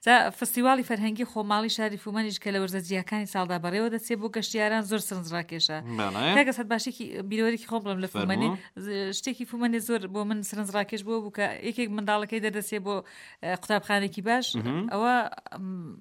جا فستیواڵی فەرهەنگی خۆماڵی شاری فومەنیش کە لە وەرزە جیاکانی ساڵدا بەڕێوە دەچێ بۆ گەشتیاران زۆر سەرنجڕاکێشە. بەڵێ. کاک ئەسعەد باشێکی بیرەوەرێکی خۆم بڵێم لە فومەنێ فەرموو. ز- شتێکی فومەنێ زۆر بۆ من سەرنجڕاکێش بووە بوو کە یەکێک منداڵەکەی دەردەچێ بۆ اه، قوتابخانێکی باش ئەوە م،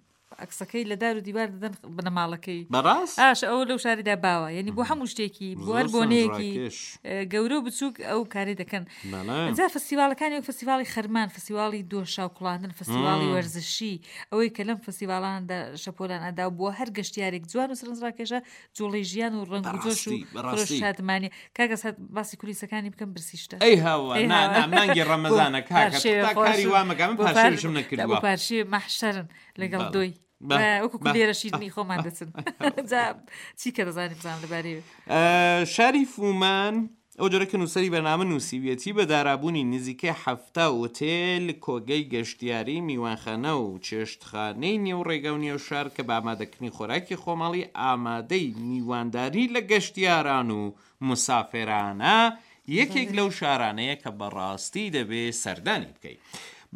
عەکسەکەی لە دار و دیوار دەدەن بنەماڵەکەی. بەڕاست؟ ئاش ئەوە لەو شارەدا باوە یعنی بۆ هەموو شتێکی بۆ هەر زۆر بۆنەیەکی سەرنجڕاکێش. اه، گەورە و بچووک ئەو کارەی دەکەن. بەڵێ. جا فستیواڵەکانی وەک فستیواڵی خەرمان، فستیواڵی دۆشاو کوڵاندن، فستیواڵی وەرزشی، ئەوەی کە لەم فستیواڵانەدا شەپۆلان ئەدا و بۆ هەر گەشتیارێک جوان و سەرنجڕاکێشە، جوڵەی ژیان و ڕەنگ و جۆش و بەڕاستی خرۆش بەڕاستی. شادمانیە. کاک ئەسعەد باسی کولیسەکانی بکەم برسیشتە. ئەی هاوار ئەی نا نا هاوار. مانگی بۆ ڕەمەزانە کاکە پارشێوێ تا کاری خۆشم وا مەکە من بۆ پار پارشێویشم بۆ نەکردووە. پارشێوێ مەحشەرن لەگەڵ بەڵێ. دۆی. بە وەکو بە لێرە شیرنی خۆمان دەچن. جا چی کە دەزانی بزانم لەبارەیەوە. شاری فومان ئەو جۆرە کە نووسەری بەرنامە نووسیویەتی، بە دارابوونی نزیکەی 70 ئوتێل، کۆگەی گەشتیاری، میوانخانە و چێشتخانەی نێو ڕێگا و نێو شار کە بە ئامادەکردنی خۆراکی خۆماڵی ئامادەی میوانداری لە گەشتیاران و مسافرانە، یەکێک لەو شارانەیە کە بەڕاستی دەبێ سەردانی بکەی.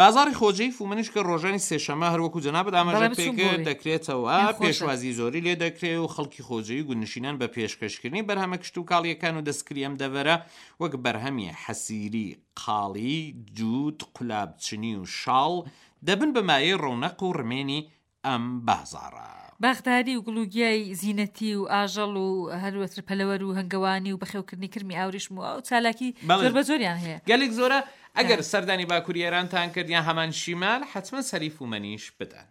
بازاڕی خۆجێی فومەنیش کە ڕۆژانی سێشەممە هەر وەکو جەنابت بەڵێ ئاماژەت بچووم پێکرد بۆ وێ. دەکرێتەوە، پێم خۆشە. پێشوازی زۆری لێ دەکرێ و خەڵکی خۆجێی و گوندنشینان بە پێشکەشکردنی بەرهەمە کشتوکاڵییەکان و دەستکردی ئەم دەڤەرە وەک بەرهەمی حەسیری، قاڵی، جووت، قولابچنی و شاڵ دەبن بە مایەی ڕەونەق و ڕمێنی ئەم بازاڕە. باخداری و گوڵ و گیای زینەتی و ئاژەڵ و هەروەتر پەلەوەر و هەنگەوانی و بەخێوکردنی کرمی ئاوریشم و ئەو چالاکی بەڵێ. زۆر بە زۆریان هەیە. گەلێک زۆرە، ئەگەر سەردانی باکوری ئێرانتان کرد یان هەمان شیمال حەتمەن سەری فومەنیش بدەن.